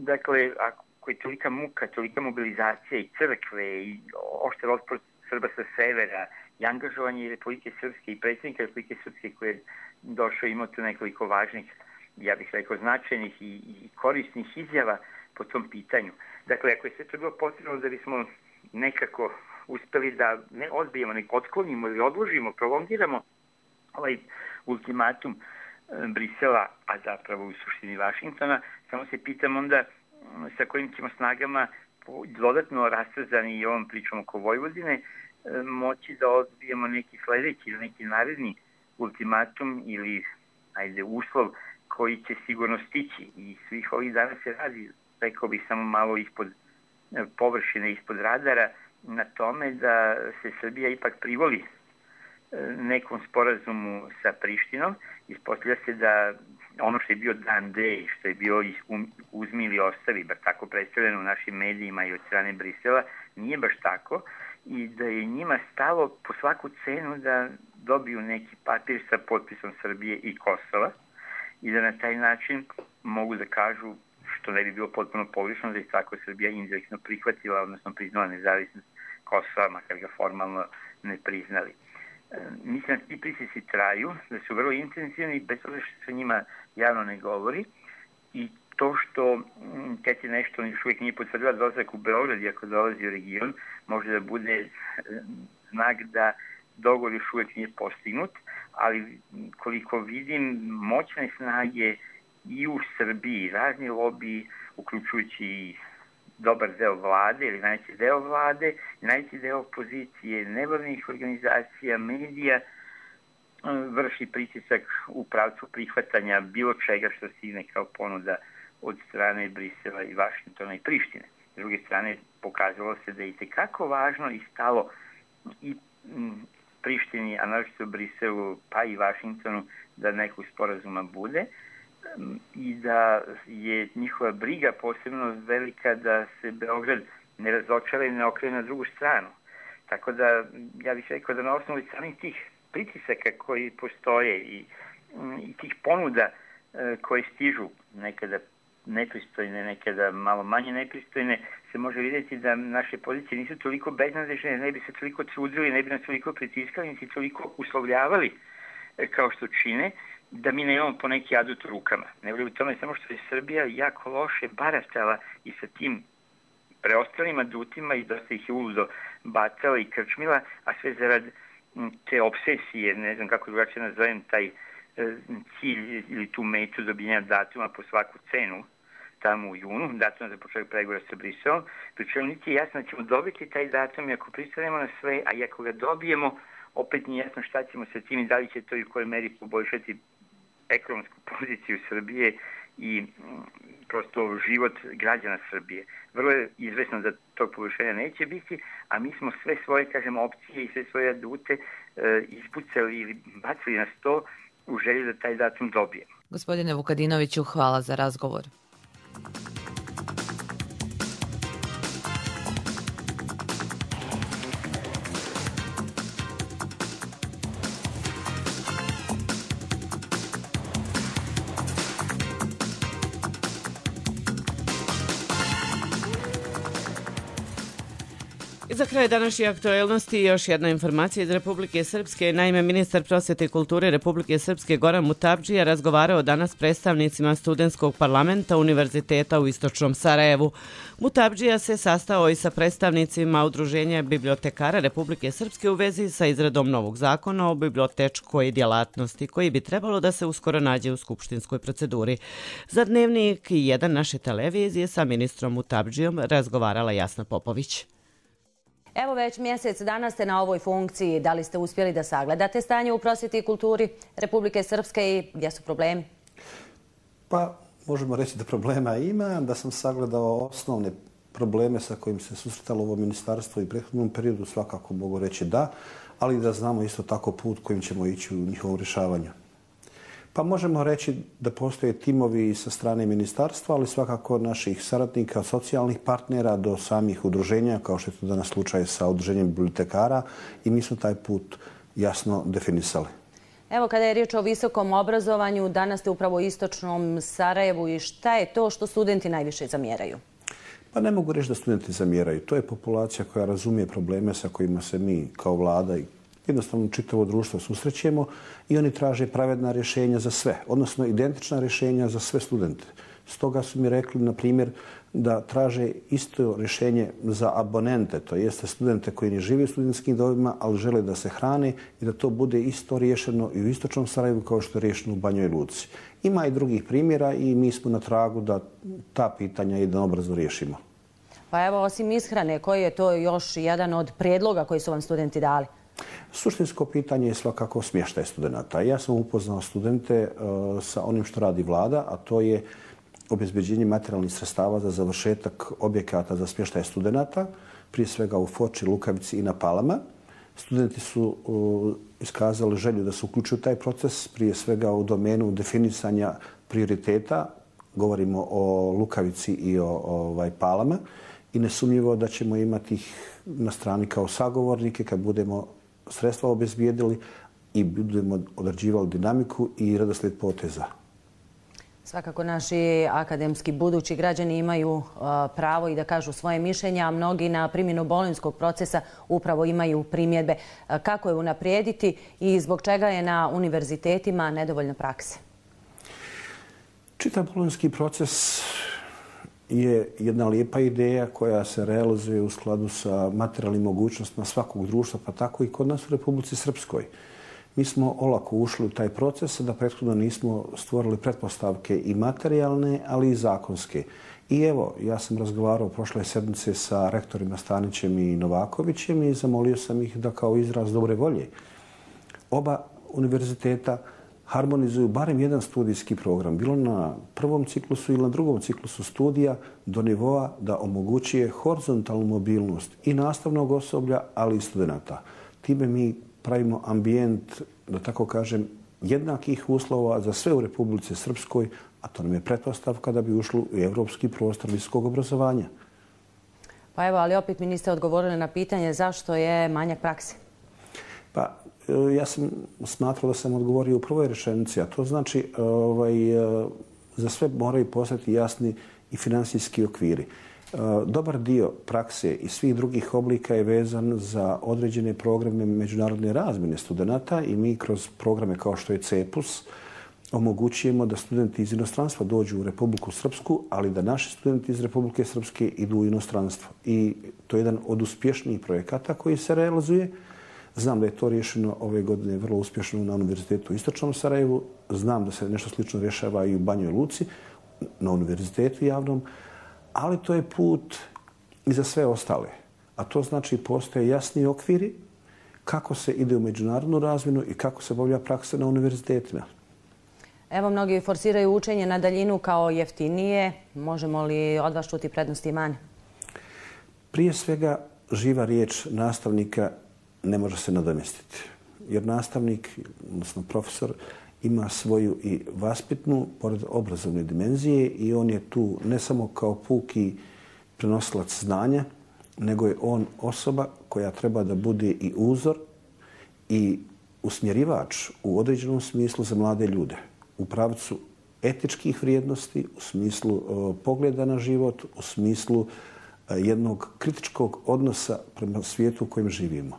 dakle, ako je tolika muka, tolika mobilizacija i crkve i oštar otpor Srba sa severa i angažovanje Republike Srpske i predsjednika Republike Srpske koji je došao, imao tu nekoliko važnih, ja bih rekao, značajnih i korisnih izjava po tom pitanju. Dakle, ako je sve to bilo potrebno da bismo nekako uspeli da ne odbijemo, nek otklonimo ili odložimo, prolongiramo ovaj ultimatum Brisela, a zapravo u suštini Vašingtona, samo se pitam onda sa kojim ćemo snagama dodatno rastrzani i ovom pričom oko Vojvodine moći da odbijemo neki sledeći ili neki naredni ultimatum ili uslov koji će sigurno stići. I svih ovih dana se radi, rekao bih, samo malo ispod površine, ispod radara, na tome da se Srbija ipak privoli nekom sporazumu sa Prištinom. Ispostavlja se da ono što je bio dan D, što je bio uzmi ili ostavi, bar tako predstavljeno u našim medijima i od strane Brisela, nije baš tako i da je njima stalo po svaku cenu da dobiju neki papir sa potpisom Srbije i Kosova i da na taj način mogu da kažu, što ne bi bilo potpuno pogrešno, da je tako Srbija indirektno prihvatila, odnosno priznala nezavisnost Kosova, makar ga formalno ne priznali. Mislim da ti pritisci traju, da su vrlo intenzivni, bez toga što se njima javno ne govori i to što Keti nešto još uvijek nije potvrdila dolazak u Beograd, iako dolazi u region, može da bude znak da dogovor još uvijek nije postignut, ali koliko vidim moćne snage i u Srbiji, razni lobiji, uključujući i dobar deo vlade ili najveći deo vlade, najveći deo opozicije, nevladnih organizacija, medija, vrši pritisak u pravcu prihvatanja bilo čega što stigne kao ponuda od strane Brisela i Vašingtona i Prištine. S druge strane, pokazalo se da je itekako važno i stalo i Prištini, a naročito Briselu, pa i Vašingtonu, da nekog sporazuma bude i da je njihova briga posebno velika da se Beograd ne razočara i ne okrene na drugu stranu. Tako da, ja bih rekao da na osnovu samih tih pritisaka koji postoje i tih ponuda koje stižu, nekada nepristojne, nekada malo manje nepristojne, se može vidjeti da naše pozicije nisu toliko beznadežne, ne bi se toliko trudili, ne bi nas toliko pritiskali, niti toliko uslovljavali kao što čine, da mi nemamo po neki adut u rukama. Ne voli u tome samo što je Srbija jako loše baratala i sa tim preostalim adutima i dosta ih je uludo bacala i krčmila, a sve zarad te obsesije, ne znam kako drugačije nazovem, taj cilj ili tu metu dobijenja datuma po svaku cenu tamo u junu, datum za početak pregovora sa Briselom, pričemu niti je jasno da ćemo dobiti taj datum i ako pristanemo na sve, a i ako ga dobijemo, opet nije jasno šta ćemo sa tim i da li će to i u kojoj meri poboljšati ekonomsku poziciju Srbije i prosto život građana Srbije. Vrlo je izvesno da tog poboljšanja neće biti, a mi smo sve svoje, kažemo, opcije i sve svoje adute ispucali ili bacili na sto u želji da taj datum dobijemo. Gospodine Vukadinoviću, hvala za razgovor. Za kraj današnje aktuelnosti još jedna informacija iz Republike Srpske. Naime, ministar prosvete i kulture Republike Srpske Goran Mutavdžija razgovarao danas s predstavnicima studentskog parlamenta Univerziteta u Istočnom Sarajevu. Mutavdžija se sastao i sa predstavnicima Udruženja bibliotekara Republike Srpske u vezi sa izradom novog zakona o bibliotečkoj djelatnosti, koji bi trebalo da se uskoro nađe u skupštinskoj proceduri. Za Dnevnik 1 naše televizije sa ministrom Mutavdžijom razgovarala Jasna Popović. Evo već mjesec dana ste na ovoj funkciji. Da li ste uspjeli da sagledate stanje u prosvjeti i kulturi Republike Srpske i gdje su problemi? Pa, možemo reći da problema ima, da sam sagledao osnovne probleme sa kojim se susretalo ovo ministarstvo i u prethodnom periodu, svakako mogu reći da, ali da znamo isto tako put kojim ćemo ići u njihovom rješavanju. Pa možemo reći da postoje timovi sa strane ministarstva, ali svakako naših saradnika, socijalnih partnera do samih udruženja, kao što je to danas slučaj sa udruženjem bibliotekara, i mi smo taj put jasno definisali. Evo, kada je riječ o visokom obrazovanju, danas ste upravo u Istočnom Sarajevu i šta je to što studenti najviše zamjeraju? Pa ne mogu reći da studenti zamjeraju. To je populacija koja razumije probleme sa kojima se mi kao vlada i jednostavno čitavo društvo susrećemo i oni traže pravedna rješenja za sve, odnosno identična rješenja za sve studente. Stoga su mi rekli, na primjer, da traže isto rješenje za abonente, to jeste studente koji ne žive u studentskim domovima, ali žele da se hrane i da to bude isto riješeno i u istočnom Sarajevu kao što je riješeno u Banjoj Luci. Ima i drugih primjera i mi smo na tragu da ta pitanja jednoobrazno riješimo. Pa evo, osim ishrane, koji je to još jedan od prijedloga koji su vam studenti dali? Suštinsko pitanje je svakako smještaj studenta. Ja sam upoznao studente sa onim što radi vlada, a to je obezbeđenje materijalnih sredstava za završetak objekata za smještaj studenta, prije svega u Foči, Lukavici i na Palama. Studenti su iskazali želju da se uključuju u taj proces, prije svega u domenu definisanja prioriteta. Govorimo o Lukavici i o Palama. I nesumnjivo da ćemo imati ih na strani kao sagovornike kad budemo sredstva obezbijedili i budemo određivali dinamiku i redoslijed poteza. Svakako naši akademski budući građani imaju pravo i da kažu svoje mišljenja, a mnogi na primjenu bolonjskog procesa upravo imaju primjedbe. Kako je unaprijediti i zbog čega je na univerzitetima nedovoljno prakse? Čitav bolonjski proces je jedna lijepa ideja koja se realizuje u skladu sa materijalnim mogućnostima svakog društva, pa tako i kod nas u Republici Srpskoj. Mi smo olako ušli u taj proces da prethodno nismo stvorili pretpostavke i materijalne, ali i zakonske. I evo, ja sam razgovarao prošle sedmice sa rektorima Stanićem i Novakovićem i zamolio sam ih da kao izraz dobre volje oba univerziteta harmonizuju barem jedan studijski program, bilo na prvom ciklusu ili na drugom ciklusu studija, do nivoa da omogućuje horizontalnu mobilnost i nastavnog osoblja, ali i studenta. Time mi pravimo ambijent, da tako kažem, jednakih uslova za sve u Republici Srpskoj, a to nam je pretpostavka da bi ušlo u evropski prostor visokog obrazovanja. Pa evo, ali opet mi niste odgovorili na pitanje zašto je manjak prakse. Pa, ja sam smatrao da sam odgovorio u prvoj rečenici, a to znači za sve moraju postati jasni i finansijski okviri. Dobar dio prakse i svih drugih oblika je vezan za određene programe međunarodne razmjene studenta i mi kroz programe kao što je CEPUS omogućujemo da studenti iz inostranstva dođu u Republiku Srpsku, ali da naši studenti iz Republike Srpske idu u inostranstvo. I to je jedan od uspješnijih projekata koji se realizuje. Znam da je to rješeno ove godine vrlo uspješno na Univerzitetu u Istočnom Sarajevu. Znam da se nešto slično rješava i u Banjoj Luci, na univerzitetu javnom. Ali to je put i za sve ostale. A to znači postoje jasni okviri kako se ide u međunarodnu razmjenu i kako se obavlja praksa na univerzitetima. Evo, mnogi forsiraju učenje na daljinu kao jeftinije. Možemo li od vas čuti prednosti i mane? Prije svega, živa riječ nastavnika ne može se nadomjestiti. Jer nastavnik, odnosno profesor, ima svoju i vaspitnu, pored obrazovne dimenzije i on je tu ne samo kao puki prenosilac znanja, nego je on osoba koja treba da bude i uzor i usmjerivač u određenom smislu za mlade ljude. U pravcu etičkih vrijednosti, u smislu pogleda na život, u smislu jednog kritičkog odnosa prema svijetu u kojem živimo.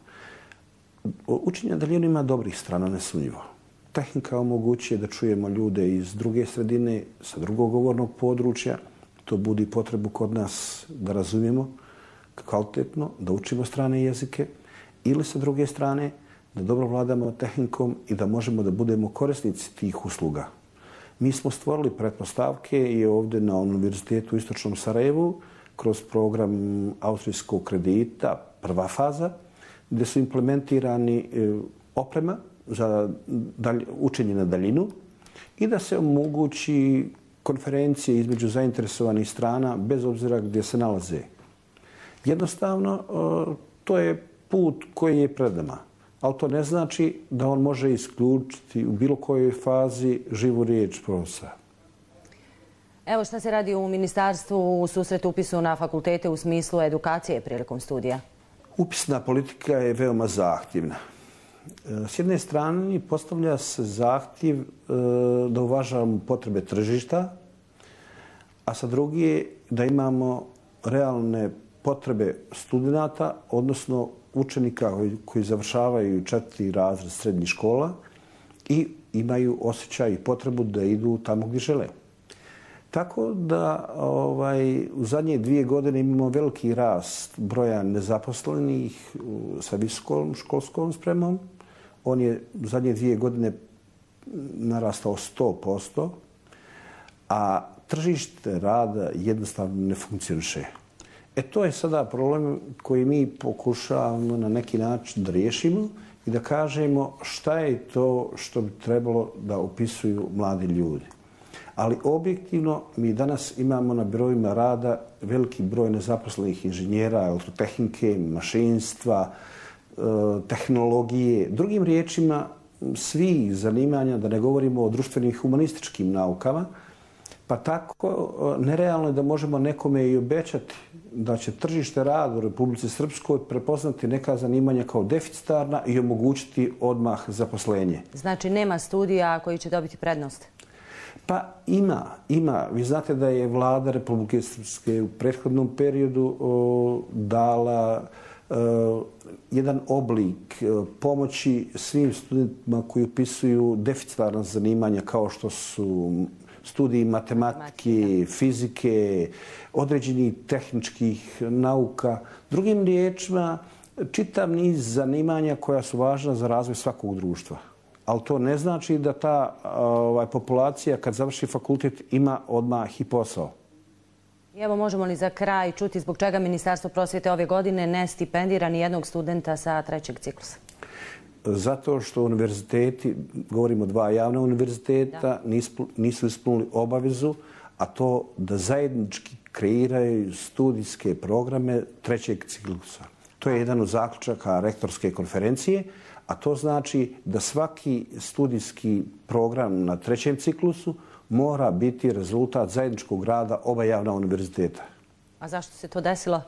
Učenje na daljinu ima dobrih strana, nesumnjivo. Tehnika omogućuje da čujemo ljude iz druge sredine, sa drugog govornog područja. To budi potrebu kod nas da razumijemo kvalitetno, da učimo strane jezike ili sa druge strane da dobro vladamo tehnikom i da možemo da budemo korisnici tih usluga. Mi smo stvorili pretpostavke i ovdje na Univerzitetu u Istočnom Sarajevu kroz program austrijskog kredita, prva faza, gdje su implementirani oprema za učenje na daljinu i da se omogući konferencije između zainteresovanih strana bez obzira gdje se nalaze. Jednostavno, to je put koji je pred nama, ali to ne znači da on može isključiti u bilo kojoj fazi živu riječ profesora. Evo šta se radi u ministarstvu u susretu upisu na fakultete u smislu edukacije prilikom studija? Upisna politika je veoma zahtjevna. S jedne strane postavlja se zahtjev da uvažavamo potrebe tržišta, a sa druge da imamo realne potrebe studenta, odnosno učenika koji završavaju 4. razred srednjih škola i imaju osjećaj i potrebu da idu tamo gdje žele. Tako da u zadnje 2 godine imamo veliki rast broja nezaposlenih sa visokom školskom spremom. On je u zadnje 2 godine narastao 100%, a tržište rada jednostavno ne funkcioniše. To je sada problem koji mi pokušavamo na neki način da riješimo i da kažemo šta je to što bi trebalo da opisuju mladi ljudi. Ali objektivno mi danas imamo na birovima rada veliki broj nezaposlenih inženjera, elektrotehnike, mašinstva, tehnologije. Drugim riječima, svih zanimanja, da ne govorimo o društvenim i humanističkim naukama, pa tako nerealno je da možemo nekome i obećati da će tržište rada u Republici Srpskoj prepoznati neka zanimanja kao deficitarna i omogućiti odmah zaposlenje. Znači nema studija koji će dobiti prednost? Pa ima. Vi znate da je vlada Republike Srpske u prethodnom periodu dala jedan oblik pomoći svim studentima koji upisuju deficitarna zanimanja kao što su studiji matematike, fizike, određenih tehničkih nauka. Drugim riječima, čitav niz zanimanja koja su važna za razvoj svakog društva. Ali to ne znači da ta populacija kad završi fakultet ima odmah i posao. Evo, možemo li za kraj čuti zbog čega Ministarstvo prosvjete ove godine ne stipendira ni jednog studenta sa 3. ciklusa? Zato što univerziteti, govorimo 2 javna univerziteta, nisu ispunili obavezu, a to da zajednički kreiraju studijske programe 3. ciklusa. To je jedan od zaključaka rektorske konferencije, a to znači da svaki studijski program na 3. ciklusu mora biti rezultat zajedničkog rada oba javna univerziteta. A zašto se to desilo?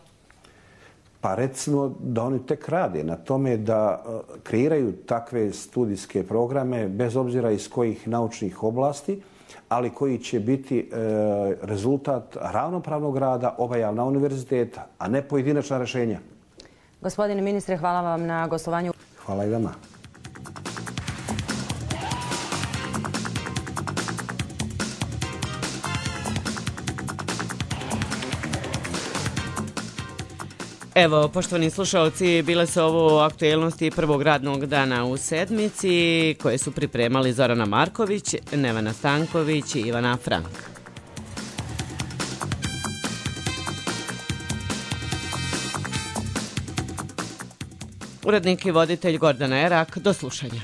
Pa recimo da oni tek rade na tome da kreiraju takve studijske programe bez obzira iz kojih naučnih oblasti, ali koji će biti rezultat ravnopravnog rada oba javna univerziteta, a ne pojedinačna rješenja. Gospodine ministre, hvala vam na gostovanju. Hvala i vama. Evo, poštovani slušalci, bile su ovo aktuelnosti prvog radnog dana u sedmici koje su pripremali Zorana Marković, Nevena Stanković i Ivana Frank. Urednik i voditelj Gordana Erak, do slušanja.